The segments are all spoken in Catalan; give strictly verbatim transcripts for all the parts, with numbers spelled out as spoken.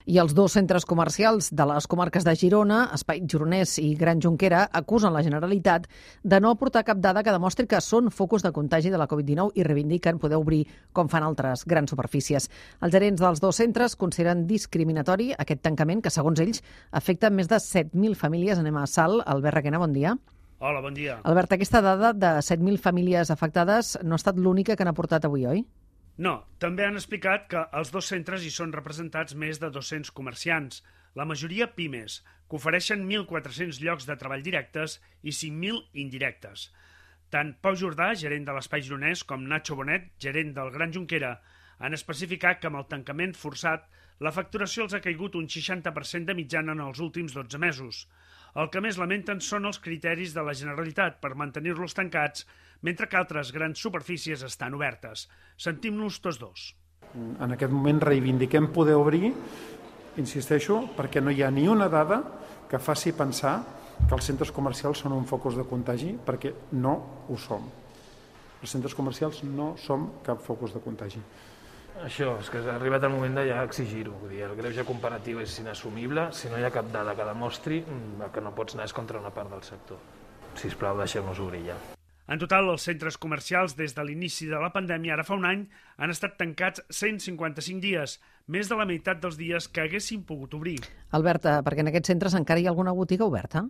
I els dos centres comercials de les comarques de Girona, Espai Gironès i Gran Jonquera, acusen la Generalitat de no aportar cap dada que demostri que són focus de contagi de la covid dinou i reivindiquen poder obrir com fan altres grans superfícies. Els gerents dels dos centres consideren discriminatori aquest tancament que, segons ells, afecta més de set mil famílies. Anem a Salt. Albert Requena, bon dia. Hola, bon dia. Albert, aquesta dada de set mil famílies afectades no ha estat l'única que han aportat avui, oi? No, també han explicat que als dos centres hi són representats més de dos-cents comerciants, la majoria pimes, que ofereixen mil quatre-cents llocs de treball directes i cinc mil indirectes. Tant Pau Jordà, gerent de l'Espai Gironès, com Nacho Bonet, gerent del Gran Jonquera, han especificat que amb el tancament forçat la facturació els ha caigut un seixanta per cent de mitjana en els últims dotze mesos. El que més lamenten són els criteris de la Generalitat per mantenir-los tancats, mentre que altres grans superfícies estan obertes. Sentim-nos tots dos. En aquest moment reivindiquem poder obrir, insisteixo, perquè no hi ha ni una dada que faci pensar que els centres comercials són un focus de contagi, perquè no ho som. Els centres comercials no som cap focus de contagi. Això, és que ha arribat el moment de ja exigir-ho. El greuge comparatiu és inassumible si no hi ha cap dada que demostri que no pots anar contra una part del sector. Sisplau, deixem-nos obrir ja. En total, els centres comercials des de l'inici de la pandèmia, ara fa un any, han estat tancats cent cinquanta-cinc dies, més de la meitat dels dies que haguessin pogut obrir. Albert, perquè en aquests centres encara hi ha alguna botiga oberta?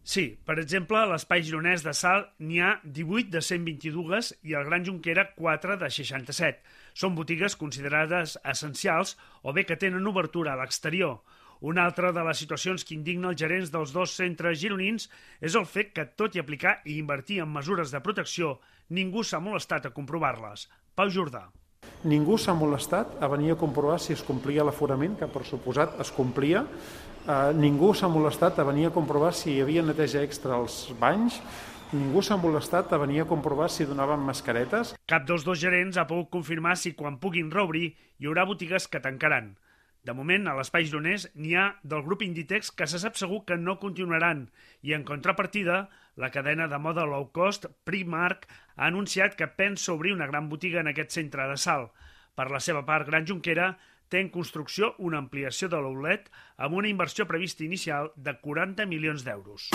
Sí, per exemple, a l'Espai Gironès de Salt n'hi ha divuit de cent vint-i-dos i al Gran Jonquera quatre de seixanta-set. Són botigues considerades essencials o bé que tenen obertura a l'exterior. Una altra de les situacions que indigna els gerents dels dos centres gironins és el fet que, tot i aplicar i invertir en mesures de protecció, ningú s'ha molestat a comprovar-les. Pau Jordà. Ningú s'ha molestat a venir a comprovar si es complia l'aforament, que per suposat es complia. Uh, ningú s'ha molestat a venir a comprovar si hi havia neteja extra als banys. Ningú s'ha molestat a venir a comprovar si donaven mascaretes. Cap dels dos gerents ha pogut confirmar si quan puguin reobrir hi haurà botigues que tancaran. De moment, a l'Espai Gironès n'hi ha del grup Inditex que se sap segur que no continuaran i, en contrapartida, la cadena de moda low cost Primark ha anunciat que pensa obrir una gran botiga en aquest centre de Salt. Per la seva part, Gran Jonquera té en construcció una ampliació de l'outlet amb una inversió prevista inicial de quaranta milions d'euros.